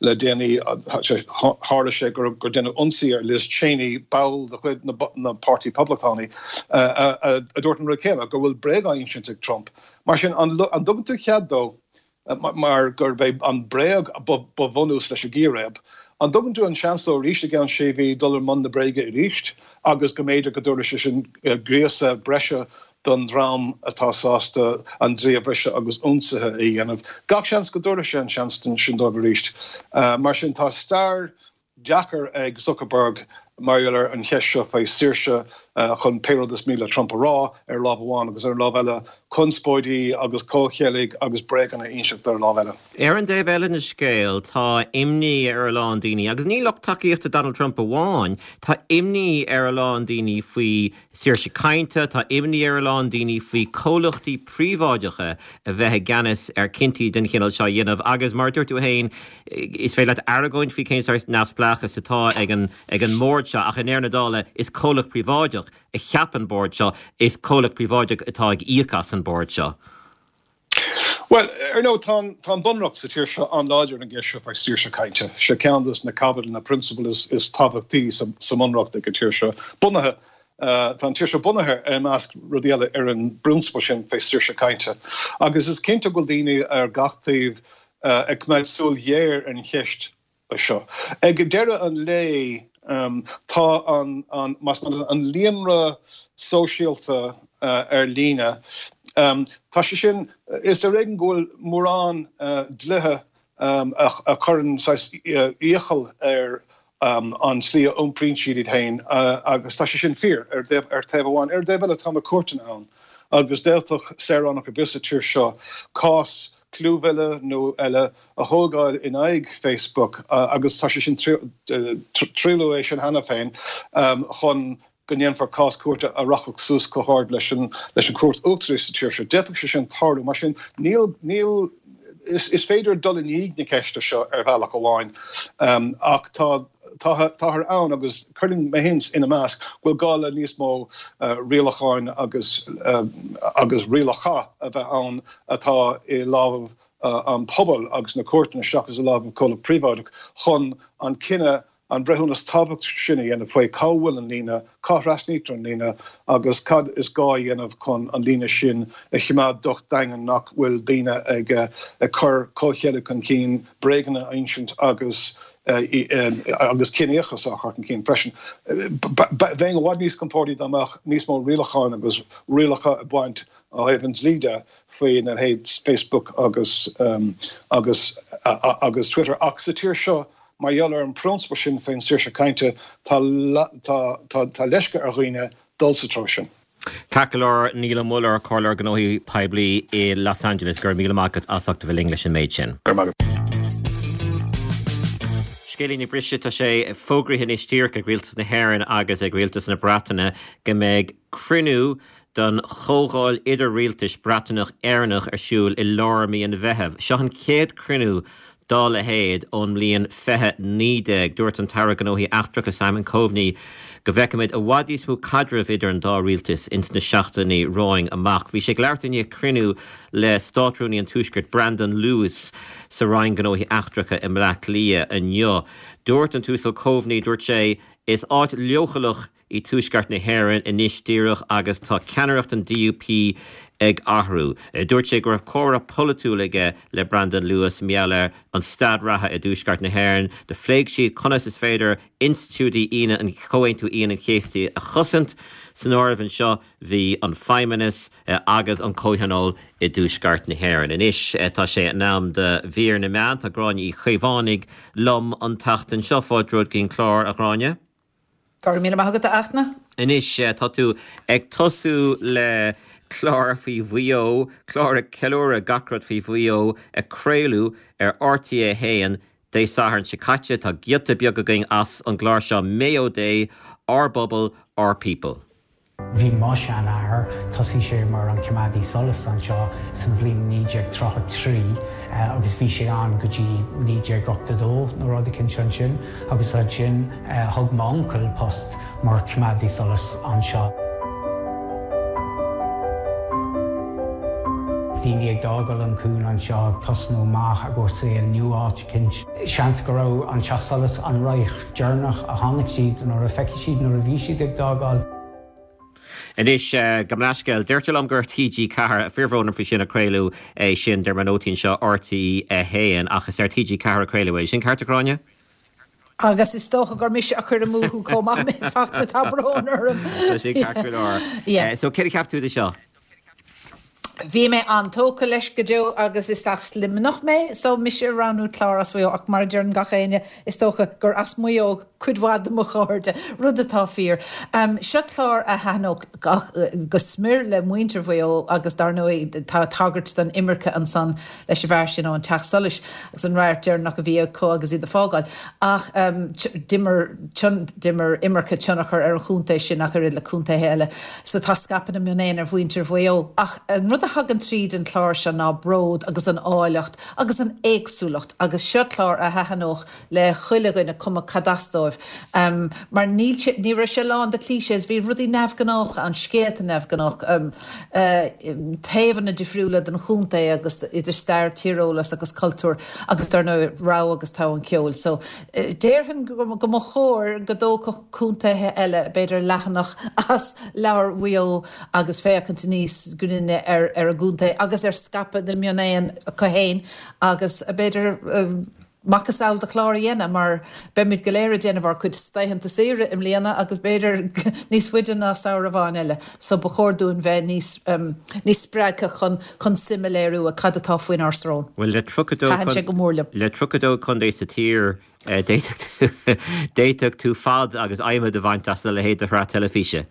S5: le déanaí, tharla sé gur deineadh ionsaí ar Liz Cheney, ball de chuid na Páirtí Poblachtánaí, a dúirt an rud céanna, go bhfuil bréag á insint ag Trump. Mar sin, an dtugann tú cead dó mar gurb é an bréag ba bhunús leis an gcíréib. An dtugann tú an seans dó arís i gceann sé mhí dul i mbun na bréige arís agus go mb'fhéidir go dtabharfaidh sé sin gríosadh breise don dream atá sásta an dlí a bhriseadh agus ionsaithe a dhéanamh? Gach seans go dtabharfaidh sé an seans sin dóibh arís. Mar sin tá stair deacair ag Zuckerberg mar gheall ar an cheist seo faoi saoirse chun pé rud is mian le Trump a rá ar lámh amháin agus ar an lámh eile conspóidí agus comhcheilg agus bréaganna a inseacht ar an lámh eile.
S1: Ar an dtaobh eile den scéal, tá imní ar a lán daoine, agus ní lucht tacaíochta Donald Trump amháin, tá imní ar a lán daoine faoi saoirse cainte, tá imní ar a lán daoine faoi comhlachtaí príobháideacha a bheith i gceannas ar cinntí den chineál seo a dhéanamh agus mar a dúirt tú féin, is féidir leat argóint faoi cén sórt neamhspleáchas atá ag an ag an mbord seo ach i ndeireadh na dála is comhlacht príobháideach a cheap an bord seo, is comhlacht príobháideach atá ag íoc as an bord seo.
S5: Bhuel, ar ndóigh, tá an, tá an bunreacht sa tír seo an-láidir ar an gceist seo faoi saoirse cainte. Sé ceann de na caibidil, na prionsabail is, is tábhachtaí sa, sa mbunreacht ag an tír seo, bunaithe Tá an tír seo bunaithe i measc rudaí eile ar an bprionsabal sin fé saoirse cainte. Agus is cinnte go bhfuil daoine ar gach taobh ag coimeád súil ghéar ar an cheist seo. Ag deireadh an lae tá an, an, más maith leat, an líonra sóisialta ar líne, tá sé sin, is ar éigean go bhfuil mórán dlíthe a chuireann saghas iachall ar an tslí a iompraíonn siad iad féin agus tá sé sin fíor ar taobh amháin. Ar an dtaobh eile tá na cúirteanna ann agus d'fhéadfadh saoránach ar bith sa tír seo cás clúmhilleadh nó eile a thógáil in aghaidh Facebook agus tá sé sin triaileadh é sin cheana féin chun go ndéanfar cás cúirte a rachadh suas chomh hard leis an leis an Chúirt Uachtarach sa tír seo. D'fhéadfadh sé sin tarlú. Mar sin, níl, níl, is, is féidir dul i ndiaidh na ceiste seo ar bhealach amháin ach tá, tá, táthar ann agus cuirim mé féin ina measc, go bhfuil gá le níos mó rialacháin agus, agus rialacha a bheith ann atá i lámha an pobail agus na cúirteanna seachas i lámha comhlacht príobháideach chun an cinneadh an breithiúnas tábhachtach sin a dhéanamh faoi cá bhfuil an líne, cá thrasnaítear an líne agus cad is gá a dhéanamh chun an líne sin a choimeád docht daingean nach bhfuil daoine ag ag cur comhcheilg chun cinn, bréaganna a insint agus agus ciníochas á chur chun cinn freisin. Bheinn i bhfad níos compórdaí dá mbeadh níos mó rialacháin agus rialacha ag baint ó thaobh an dlí de faoina leithéid Facebook agus agus agus Twitter ach sa tír seo Mar gheall ar an bprionsabal sin faoin saoirse cainte, tá tá leisce ar dhaoine dul sa treo sin.
S1: Ceart go leor, Niall Ó Muilleoir, Comhairleoir Gnóthaí Poiblí i Los Angeles, go raibh míle maith agat as ucht a bheith linn leis an méid sin.
S5: Go raibh maith agat.
S1: Scéilín ag briseadh, tá sé fógraithe anois díreach ag Rialtas na hÉireann agus ag Rialtas na Breataine go mbeidh cruinniú don Chomhdháil Idir-Rialtais Breataineach-Éireannach ar siúl i lár mí an Mheithimh. Seo an chéad cruinniú dá leithéid ón mbliain fiche naoi déag. Dúirt an tAire Gnóthaí Eachtracha Simon Coveney go bhfeicfimid i bhfad níos mó caidrimh idir an dá rialtas ins na seachtainí romhainn amach. Bhí sé ag labhairt i ndiaidh cruinniú le Státrúnaí an Tuaiscirt Brandon Lewis sa Roinn Gnóthaí Eachtracha i mBleá Cliath inniu. Dúirt an tUasal Coveney, dúirt sé, Is áit leochaileach í Tuaisceart na hÉireann anois díreach agus tá ceannaireacht an DUP ag athrú. Dúirt sé go raibh comhrá polaitiúil aige le Brandon Lewis mar gheall ar an staid reatha i dTuaisceart na hÉireann. Do phléigh siad conas is féidir institiúidí Aoine an Chomhaontú Aoine an Chéasta a chosaint. San áireamh anseo bhí an Feidhmeannas agus an Comhthionól i dTuaisceart na hÉireann. Anois tá sé in am do mhír na meán. Tá Gráinne Uí Chaomhánaigh liom an tseachtain seo. Fáilte romhat go dtí an clár, a Ghráinne.
S6: Go raibh míle maith agat, a Fhachtna.
S1: Anois, tá tú ag tosú le clár faoi Mhaigh Eo, clár ag ceiliúradh gach rud faoi Mhaigh Eo, a craoladh ar RTÉ a haon Dé Sathairn seo caite. Tá giota beag againn as an gclár seo, Mayo Day, Ár bPobal, Our People.
S7: Bhí mo sheanathair, thosaigh sé mar an coimeádaí solais anseo san bhliain naoi déag tríocha trí agus bhí sé ann go dtí naoi déag ochtó dó nó rud eicínt ansin agus ansin thug m'uncail post mar choimeádaí solais anseo. Daoine ag d'fhágáil an cuan anseo ag tosnú amach i gcomhair saol nua áit eicínt. Seans go raibh an teach solais an radharc deireanach a chonaic siad nuair a feicfidh siad nuair a bhí siad ag d'fhágáil.
S1: Anois, gabh mo leithscéal, deirtear liom gur TG Ceathair, fíorbhrón orm faoi sin, a craoladh é sin, de réir mo nótaí anseo, RTÉ a haon, ach is ar TG Ceathair a craoladh é. Sin ceart, a Ghráinne?
S6: Agus is dócha gur mise a chuir amú thú chomh maith, a Fhachtna, tá brón orm.
S1: Tá sin ceart go leor. So, céard a cheap tú de seo?
S6: Bhí mé an-tógtha leis go deo agus is as Luimneach mé so mise ag roghnú clár as Maigh Eo ach mar a deireann gach éinne is dócha gur as Maigh Eo cuid mhaith de mo chairde, rud atá fíor. Seo clár a thaitneodh go smior le muintir Mhaigh Eo agus dar ndóigh tá tagairt don imirce ansan leis an bhfear sin ón Teach Solais agus an radharc deireanach a bhí acu agus iad ag fágáil ach d'imir d'imir imirce tionchar ar an chontae sin ach oiread le contaetha eile so tá scaipeadh na mionéan ar mhuintir Mhaigh Eo ach an rud rud a thagann tríd an chlár seo ná bród agus an áilleacht agus an éagsúlacht agus seo clár a thaitneodh le chuile dhuine cuma cad as dóibh. Um, mar ní ní raibh sé lán de clichés, bhí rudaí neamhghnách an scéalta neamhghnách um, uh, taobhanna difriúla den chontae agus idir stair tíreolas agus cultúr agus dar ndóigh rogha agus togha an ceoil. So uh, déarfainn go go mba chóir go dtógfadh contaetha eile b'fhéidir leathanach as leabhar Mhaigh Eo agus féachaint níos grinne ar ar a gcontae agus ar scaipeadh na mionéan acu féin agus b'fhéidir uh, macasamhail de chlár a dhéanamh mar beimid go léir ag déanamh ár gcuid laethanta saoire i mbliana agus b'fhéidir níos faide ná samhradh amháin eile, so ba chóir dúinn bheith níos um, níos spreagtha chun chun suim a léiriú i cad atá faoinár srón.
S1: Well le
S6: Thaitin sé go mór liom.
S1: le tríocha dó contae sa tír eh, d'fhéadfadh tú fad agus adhmad a bhaint as a leithéid de shraith teilifíse.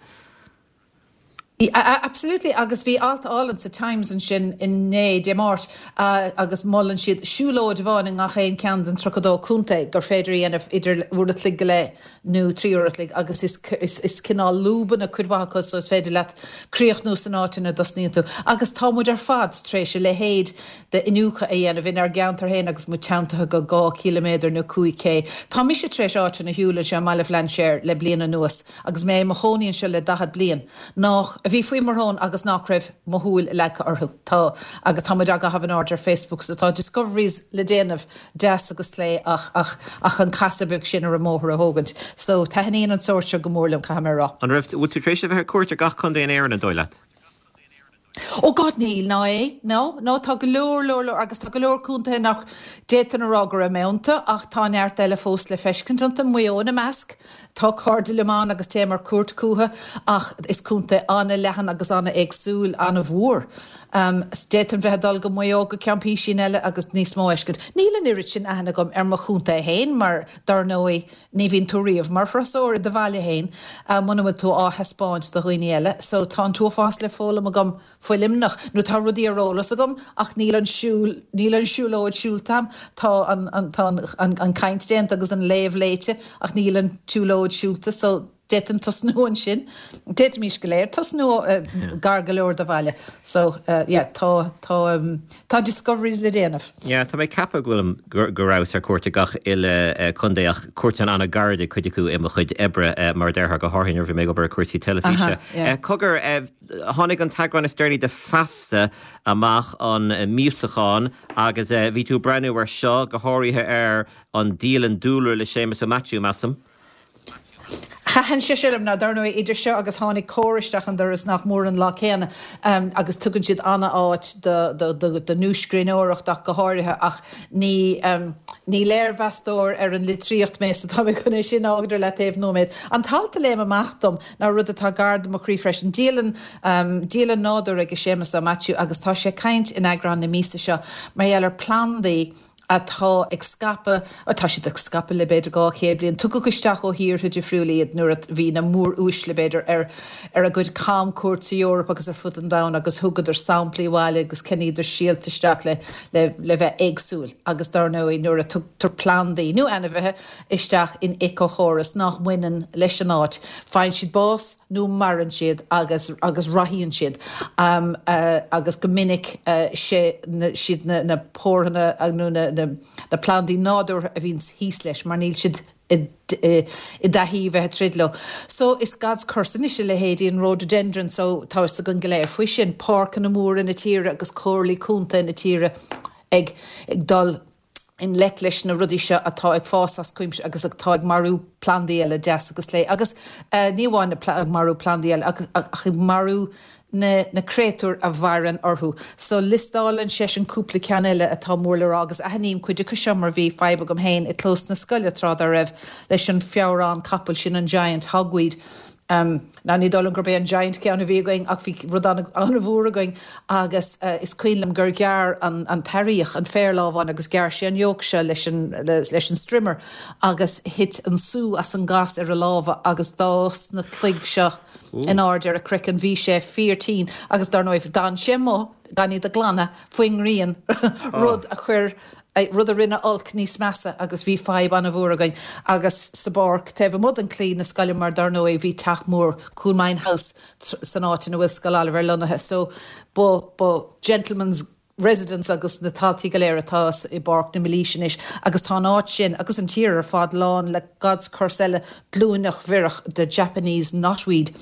S6: Absolutely agus bhí alt álainn sa Times ansin inné Dé Máirt agus molann siad siúlóid amháin i ngach aon ceann den tríocha dó contae gur féidir dhéanamh idir uair an chloig go leith nó trí uair an chloig agus is, is, is cineál lúbanna cuid mhaith acu so is féidir leat críochnú san áit ina dtosnaíonn tú. Agus tá muid ar fad tar éis a leithéid de iniúchadh a dhéanamh inár gceantar féin agus muid teanntaithe go dhá kilometer nó cúig K. Tá mise tar éis áiteanna a shiúl anseo i mBaile Bhlainséir le bliain anuas agus mé i mo chónaí anseo le daichead bliain. Nach a bhí faoi mo shrón agus nach raibh mo shúil leagtha orthu. Tá agus tá muid á gcaitheamh in airde ar Facebook so tá discoveries le déanamh deas agus clé ach ach ach an casadh beag sin ar an mbóthar a thógaint. So taitníonn an sórt seo go mór liom caithfidh mé a rá.
S1: An raibh bhfuil tú tar éis a bheith ar cuairt ar gach contae in Éirinn an dóigh leat?
S6: Ó God níl ná é no no tá go leor leor leor agus tá go leor contaetha nach d'fhéadfainn a rá go raibh mé iontu ach tá neart eile fós le feiscint iontu Maigh Eo ina measc tá cairde liom ann agus téim ar cuairt chucu ach is contae an-leathan agus an-éagsúil an-mhór. Um, d'fhéadfainn bheith ag dul go Maigh Eo go ceann písín eile agus níos mó a fheiscint. Níl an oiread sin aithne agam ar mo chontae féin mar dar ndóigh ní bhíonn tú riamh mar thurasóir i do bhaile féin uh, muna bhfuil tú á thaispeáint do dhaoine eile, so tá an t-uafás le foghlaim agam faoi Luimneach nó tá rudaí ar eolas agam ach níl an siúl níl an siúlóid siúlta agam tá an, an, tá an, an, an caint déanta agus an léamh léite ach níl an tsiúlóid siúlta so d'fhéadfainn tosnú ansin D'fhéadfaimis go léir tosnú uh, gar go leor do bhaile so uh, yeah, tá tá um, tá discoveries le déanamh.
S1: Yeah, tá mé ag ceapadh go bhfuil go go rabhas ar cuairt ag gach uile eh, contae ach cuairt an-ghairid cuid acu i mo chuid oibre eh, mar déarfá go háirithe nuair bhí mé ag obair ar cúrsaí teilifíse.
S6: Aha, yeah.
S1: Eh, Cogar eh, tháinig an t-eagrán is deireanaí de Feasta amach an eh, míosachán agus eh, bhí tú ag breathnú ar seo go háirithe ar an dialann dúlra le Séamus Ó Maitiú measaim.
S6: Thaitin sé sin liom ná dar ndóigh idir seo agus tháinig Comhar isteach an doras nach mór an lá céanna um, agus tugann siad an-áit do, do, do, do nuascríbhneoireacht ach go háirithe ach ní, um, ní léirmheastóir ar an litríocht mé so tá mé chun é sin a fhágáil le taobh nóiméad. An t-alt a léim amach dom ná rud atá gar do mo chroí freisin dialann um, dialann nádúir ag Séamus Ó Maitiú agus tá sé ag caint in eagrán na míosa seo mar gheall ar plandaí atá ag scaipeadh atá siad ag scaipeadh le b'fhéidir dhá chéad bliain tugadh isteach ó thíortha difriúla iad nuair a bhí na mór-uaisle b'fhéidir ar ar a gcuid camchuairt sa Eoraip agus ar fud an domhain agus thugadar samplaí abhaile agus cheannaíodar síolta isteach le le le bheith éagsúil agus dar ndóigh nuair a tugtar plandaí nó ainmhithe isteach in éiceachóras nach mbaineann leis an áit. Faigheann siad bás nó maireann siad agus agus rathaíonn siad um, uh, agus go minic uh, sé na, siad na, na pórtha nó na, na, na plandaí nádúrtha a bhíonn thíos leis mar níl siad i i dtaithí bheith troid leo. So is God's curse anois a leithéidí an rhododendron so tá a fhios againn go léir faoi sin páirceanna móra na tíre agus comhairlí contae na tíre ag ag dul i ngleic leis na rudaí seo atá ag fás as cuimse agus atá ag marú plandaí eile deas agus lé agus uh, ní amháin ag marú plandaí eile agus ach ag marú na, na créatúir a mhaireann orthu. So liostálann sé an cúpla ceann eile atá mór le rá agus aithním cuid acu seo mar bhí fadhb agam féin i gclós na scoile tráth dá raibh leis an feabhrán capaill sin an giant hogweed. Um, ná ní dóigh liom gurb é an giant ceann a bhí againn ach bhí rud an-mhór againn agus uh, is cuimhin liom gur ghearr an, an t-airíoch an féarlámhán agus ghearr sé an yoke seo leis an, le, leis an strimmer agus thit an sú as an gas ar a lámha agus d'fhás na cloig seo in airde ar a chraiceann bhí sé fíorthinn agus dar ndóigh d'fhan sé amuigh gan iad a ghlanadh faoin ngrian rud a chuir Rud a rinne olc níos measa agus bhí fadhb an-mhór againn agus sa bpáirc taobh amuigh den chlaí na scoile mar dar ndóigh bhí teach mór Coolmine House san áit ina bhfuil Scoil Oilibhéir lonnaithe so ba ba gentleman's residence agus na taltaí go léir atá i bPáirc na Mílaoise anois agus tá an áit sin agus an tír ar fad lán le God's curse eile glúineach bhiorach de Japanese knotweed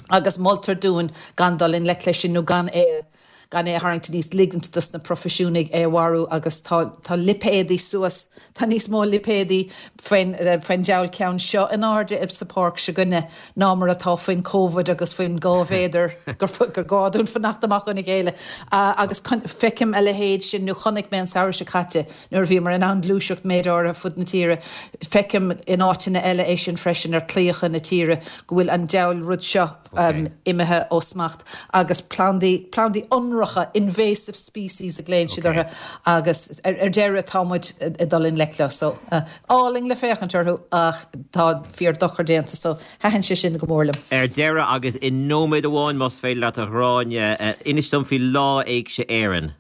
S6: agus moltar dúinn gan dul i ngleic leis sin nó gan é gan é a tharraingt aníos ligint dos na proifisiúnaigh é a mharú agus tá tá lipéadaí suas tá níos mó lipéadaí faoin faoin diabhal ceann seo in airde sa pháirc s'againne ná mar atá faoin Covid agus faoin dhá mhéadar gur gur gá dúinn fanacht amach óna chéile agus feicim a leithéid sin nó chonaic mé an samhradh seo caite nuair a bhíomar in ann gluaiseacht méid áirithe fud na tíre feicim in áiteanna eile é sin freisin ar claíocha na tíre go bhfuil an diabhal rud seo um, imithe ó smacht agus plandaí plandaí ionracha invasive species a ghlaonn siad orthu agus ar, ar deireadh tá muid ag dul i ngleic leo so uh, álainn le féachaint orthu ach tá fíor dochar déanta so thaitin sé sin go mór liom.
S1: Ar deireadh agus i nóiméad amháin más féidir leat a Ghráinne uh, inis dom faoi Lá Éigse Éireann.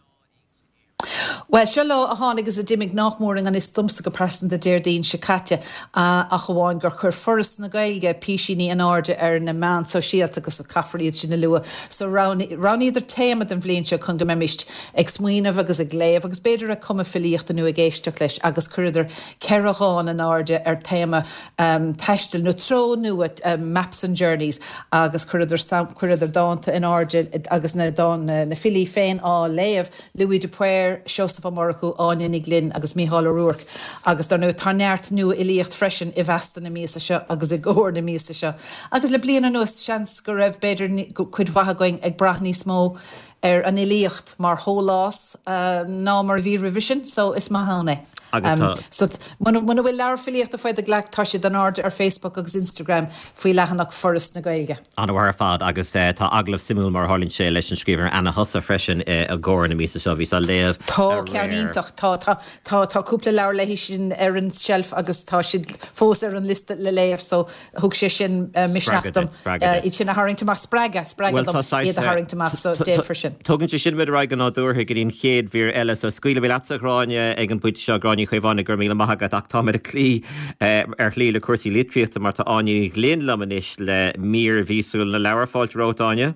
S6: Well seo lá a tháinig is a d'imigh nach mór i ngan fhios domsa go pearsanta Déardaoin seo caite ach amháin gur chuir Foras na Gaeilge písíní in airde ar na meáin sóisialta agus a caithfear iad sin a lua. So roghnaíodar téama den bhliain seo chun go mbeimist ag smaoineamh agus ag léamh agus b'fhéidir ag cumadh filíochta nó ag éisteacht leis agus chuireadar ceithre dhán in airde ar téama um, taistil nó treo nua um, maps and journeys agus chuireadar chuireadar dánta in airde agus na dán na, na filí féin á léamh Louis de Paor, Seosamh Ó Murchú Áine Ní Ghlinn agus Mícheál Ó Ruairc agus dar ndóigh tá neart nuafhilíocht freisin i bhFeasta na míosa seo agus i gComhar na míosa seo. Agus le bliain anuas seans go raibh b'fhéidir cuid mhaith againn ag brath níos mó ar an fhilíocht mar shólás uh, ná mar a bhí roimhe sin, so is maith ann é.
S1: Um,
S6: so muna bhfuil leabhar filíochta faoi do ghlac tá siad in airde ar Facebook agus Instagram faoi leathanach Foras na Gaeilge.
S1: An-mhaith ar fad agus uh, tá agallamh suimiúil mar tharlaíonn sé leis an scríbhneoir Anna Hussa freisin uh, i gComhar na míosa seo bhí á léamh.
S6: Tá ceann iontach tá tá tá tá cúpla leabhar léi sin ar an shelf agus tá siad fós ar an liosta le léamh so thug sé sin uh, misneach dom iad sin a tharraingt amach spreagadh spreagadh dom iad a tharraingt amach so déanfar sin.
S1: Tugann sé sin muid ar aghaidh go nádúrtha go dtí an chéad mhír eile so scaoilfidh mé leatsa Gráinne ag an bpointe seo Gráinne Ní Chaomhánaigh go raibh míle maith agat ach táimid ag cloí ar shlí le cúrsaí litríochta mar tá Áine Ní Ghlinn liom anois le mír mhíosúil na leabhar fáilte romhat Áine.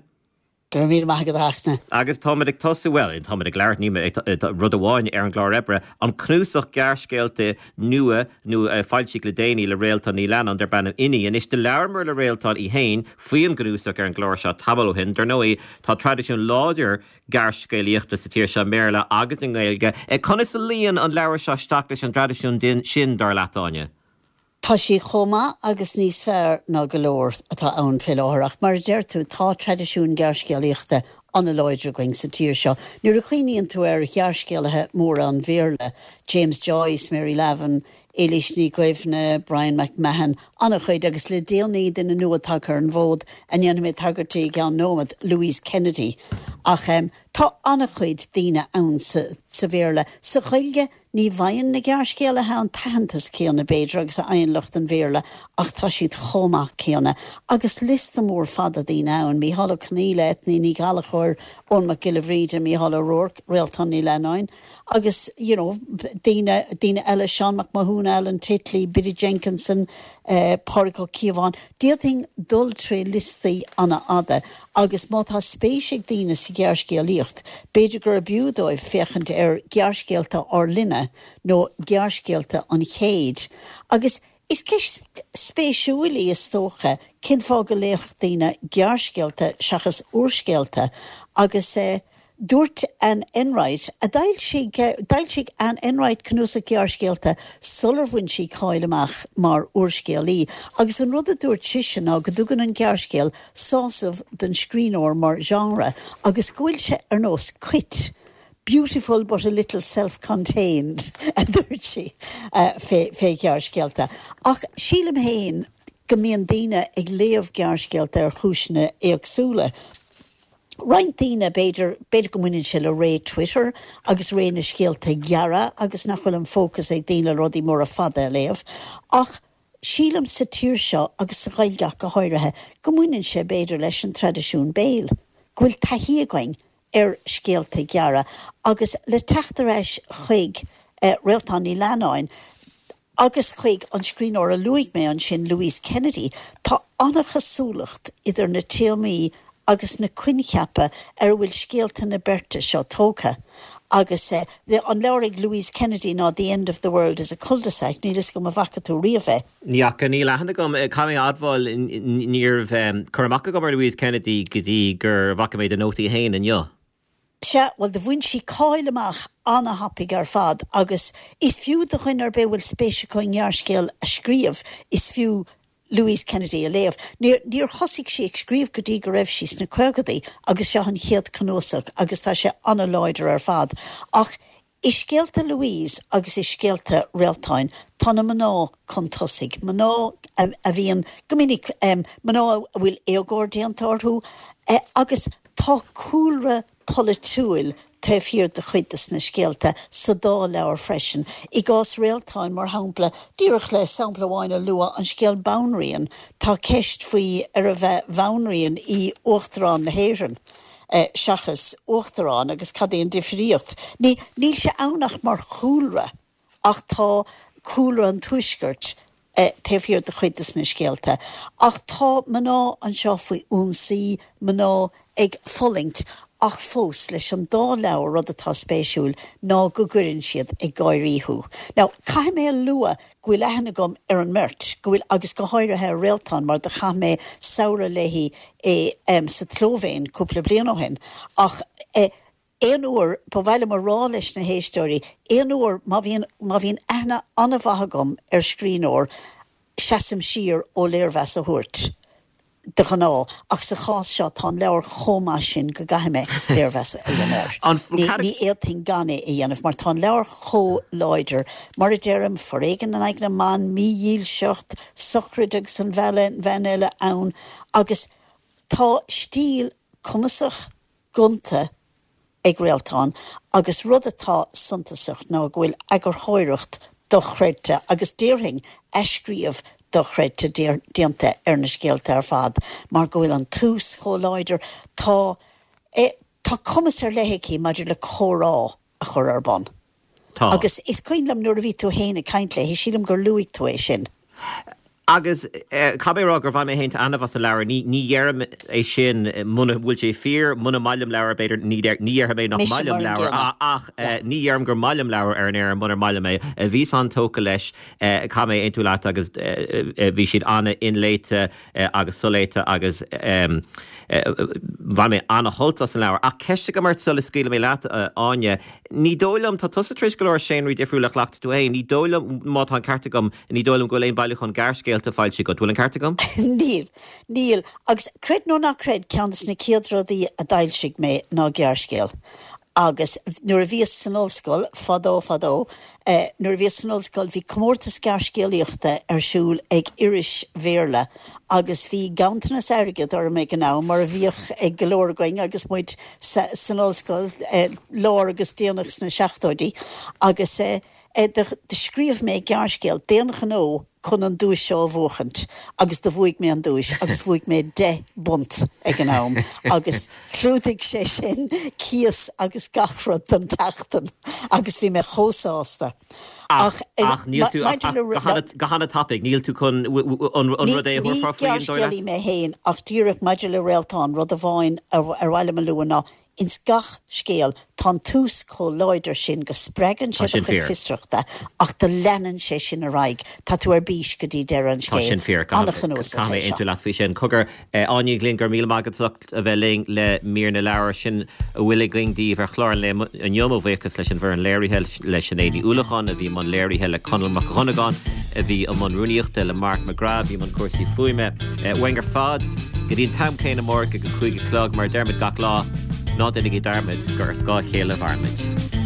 S8: Go raibh míle maith agat a Fhachtna.
S1: Agus táimid ag tosú well táimid ag labhairt ní rud amháin ar an gclár oibre an cnuasach gearrscéalta nua nó foilsithe le déanaí le Réaltán Ní Leannáin darb ainm Inní. Anois do labhramar le Réaltán í féin faoin gcnuasach ar an gclár seo tamall ó shin, dar ndóigh tá traidisiún láidir gearrscéalaíochta sa tír seo i mBéarla agus i nGaeilge. Conas a luíonn an leabhar seo isteach leis an traidisiún sin dar leat Áine?
S8: Tá sí chomh maith agus níos fearr ná go leor atá ann fé láthair ach mar a deir tú tá traidisiún gearrscéalaíochta an-láidir againn sa tír seo. Nuair a chuimhníonn tú ar ghearrscéalaithe móra an Bhéarla, James Joyce, Mary Lavin, Éilís Ní Dhuibhne, Brian McMahon, an-chuid agus le déanaí duine nua tagtha ar an bhfód a ndéanfaidh mé tagairt di i gceann nóiméad, Louise Kennedy. Ach um, tá an-chuid daoine ann sa, sa Bhéarla. Sa Ghaeilge ní bhfaigheann na gearrscéalaithe an t-aitheantas céanna b'fhéidir agus a fhaigheann lucht an Bhéarla ach tá siad chomh maith céanna. Agus liosta mór fada daoine ann, Mícheál Ó Conghaile, Eithne Ní Ghallchóir, Eoin Mac Giolla Bhríde, Mícheál Ó Ruairc, Réaltán Ní Leannáin, agus you know, daoine daoine eile Seán Mac Mathúna, Alan Titley, Biddy Jenkinson, uh, Pádraig Ó Cíobháin, D'fhéadfainn dul tré liostaí an-fhada, agus má tá spéis ag daoine sa ghearrscéalaíocht, b'fhéidir gur b'fhiú dóibh féachaint ar gearrscéalta ár linne nó gearrscéalta an chéid. Agus is ceist spéisiúil í is dócha cén fáth go léifeadh daoine gearrscéalta seachas úrscéalta agus eh, dúirt Anne Enright a d'fhoilsigh d'fhoilsigh Anne Enright cnuasach gearrscéalta sular bhain sí cáil amach mar úrscéalaí, agus an rud a dúirt sise ná go dtugann an gearrscéal sásamh don scríbhneoir mar genre agus go bhfuil sé ar nós cait. Beautiful but a little self-contained a dúirt sí uh, fé, fé ghearrscéalta. Ach sílim féin go mbíonn daoine ag léamh gearrscéalta ar chúiseanna éagsúla. Roinnt daoine b'fhéidir b'fhéidir go mbaineann sé le ré Twitter agus ré na scéalta gearra agus nach bhfuil an fócas ag daoine rudaí móra fada a léamh. Ach sílim sa tír seo agus sa Ghaeilge go háirithe go mbaineann sé b'fhéidir leis an traidisiún béil. Go bhfuil taithí againn ar scéalta gearra agus le teacht ar ais chuig Réaltán Ní Leannáin, agus chuig an scríbhneoir a luaigh mé ansin, Louise Kennedy, tá an-chosúlacht idir na téamaí agus na coincheapa ar a bhfuil scéalta na beirte seo tógtha. Agus an leabhar ag Louise Kennedy ná The End of the World is a Cul-de-sac, níl fhios agam an bhfaca tú riamh é.
S1: Ní fhaca, níl aithne agam, caithfidh mé a admháil, ní raibh cur amach agam ar Louise Kennedy go dtí gur bhfaca mé do nótaí féin inniu.
S8: Sea, bhuel, do bhain sí cáil amach ana-thapaidh ar fad agus is fiú do dhuine ar bith a bhfuil spéis acu i ngearrscéal a scríobh, is fiú Louise Kennedy a léamh. Níor, níor thosaigh sí ag scríobh go dtí go raibh sí sna caogadaí agus seo an chéad cnuasach agus tá sé ana-láidir ar fad. Ach i scéalta Louise agus i scéalta Réaltáin tá na mná chun tosaigh, mná a bhíonn go minic, mná a bhfuil éagóir déanta orthu agus tá cúlra polaitiúil taobh thiar de chuid de na scéalta sa dá leabhar freisin. I gcás Réaltáin, mar shampla, díreach le sampla amháin a lua, an scéal Banríon, tá ceist faoi arbh bhanríon í Uachtarán na hÉireann seachas uachtarán agus cad é an difríocht. Ní, níl sé ann ach mar chúlra ach tá cúlra an Tuaiscirt taobh thiar de chuid de na scéalta. Ach tá mná anseo faoi ionsaí, mná ag fulaingt ach fós leis an dá leabhar rud atá spéisiúil ná go gcuireann siad ag gáirí thú. Now, caithfidh mé a lua go bhfuil aithne agam ar an mbeirt, go bhfuil, agus go háirithe ar Réaltán mar do chaith mé samhradh léi i, em, sa tSlóivéin cúpla bliain ó shin. Ach, eh, aon uair, ba mhaith liom a rá leis na héisteoirí, aon uair má bhíonn, má bhíonn aithne an-mhaith agam ar scríbhneoir, seasaim siar ó léirmheas a thabhairt. de ghnáth, ach sa chás seo tá an leabhar chomh maith sin go gcaithfidh mé léirmheas a dhéanamh air. Ní fhéadfainn gan é a dhéanamh mar tá an leabhar chomh láidir. Mar a deirim, foréigean in aghaidh na mban, mídhílseacht, sochraid agus an bhean eile ann agus tá stíl cumasach, gonta, ag Réaltán agus rud atá suntasach ná go bhfuil eagarthóireacht dochreidte agus déarfainn athscríobh dochreidte déanta ar na scéalta ar fad mar go bhfuil an tús chomh láidir. Tá tá cumas ar leith aici maidir le comhrá a chur ar bun.
S1: Tá.
S8: Agus is cuimhin liom nuair a bhí tú féin ag caint léi, sílim gur luaigh tú é sin.
S1: Agus caithfidh mé a rá gur bhain mé féin taitneamh as an leabhar. Ní ní dheirim é sin muna bhfuil sé fíor, muna maith liom leabhar b'fhéidir ní ní dhéarfaidh mé nach
S8: Mise
S1: maith liom
S8: mar an
S1: leabhar
S8: gcéanna.
S1: ach ní dheirim gur maith liom leabhar ar an aer munar maith liom é. Bhíos an-tógtha leis, caithfidh mé aontú leat agus bhí siad an-inléite agus soléite agus bhain mé an-shult as an leabhar. Ach ceist agam ort sula scaoilfidh mé leat, a Áine. Ní dóigh liom, tá tusa tar éis go leor seánraí difriúla a chleachtadh tú féin, ní dóigh liom, má tá an ceart agam, ní dóigh liom go bhfuil aon bailiúchán gearrscéalta foilsithe agat. Bhfuil an ceart agam?
S8: Níl. Níl. Agus creid nó ná creid, ceann de na chéad rudaí a d'fhoilsigh mé ná gearrscéal. Agus nuair a bhíos san ollscoil, fadó fadó, nuair a bhíos san ollscoil bhí comórtas gearrscéalaíochta ar siúl ag iris Bhéarla agus bhí ganntanas airgid orm ag an am, mar a bhíodh ag go leor againn agus muid san ollscoil, lár agus déanach sna seachtóidí. Agus do scríobh mé gearrscéal d'aon ghnó chun an duais seo a bhuachaint agus do bhuaigh mé an duais agus bhuaigh mé deich bpunt ag an am agus chlúdaigh sé sin cíos agus gach rud don tseachtain agus bhí mé chomh sásta.
S1: Ach ach níl tú ach go hana-tapaidh, níl tú chun an rud é a
S8: Ní
S1: thabharfá faoi an dóigh leat?
S8: gearrscéalaí mé féin ach díreach maidir le Réaltán, rud amháin ar mhaith liom a lua ná Ins gach scéal, tá an tús chomh láidir sin go spreagann
S1: Tá
S8: sé do
S1: sin
S8: chuid
S1: fíor.
S8: fiosrachta, ach do leanann sé sin ar aghaidh. Tá tú ar bís go dtí deireadh an
S1: Tá
S8: scéil.
S1: sin fíor.
S8: An-chnuasach
S1: Caithfidh mé
S8: é seo.
S1: aontú leat faoi sin. Cogar, Áine Ní Ghlinn, go raibh míle maith agat as ucht a bheith linn le mír na leabhar. Sin a bhfuil againn daoibh ar chlár an lae inniu. Mo bhuíochas leis an bhfoireann léirithe, le Sinéad Ní Uallacháin a bhí i mbun léirithe, le Conall Mac Dhonnagáin a bhí i mbun rúnaíochta, le Mark McGrath a bhí i mbun cúrsaí fuaime. Uainn ar fad go dtí an t-am céanna amárach ag a cúig a chlog, mar a deirimid gach lá, ná déanaigí dearmad gur ar scáth a chéile a mhairimid.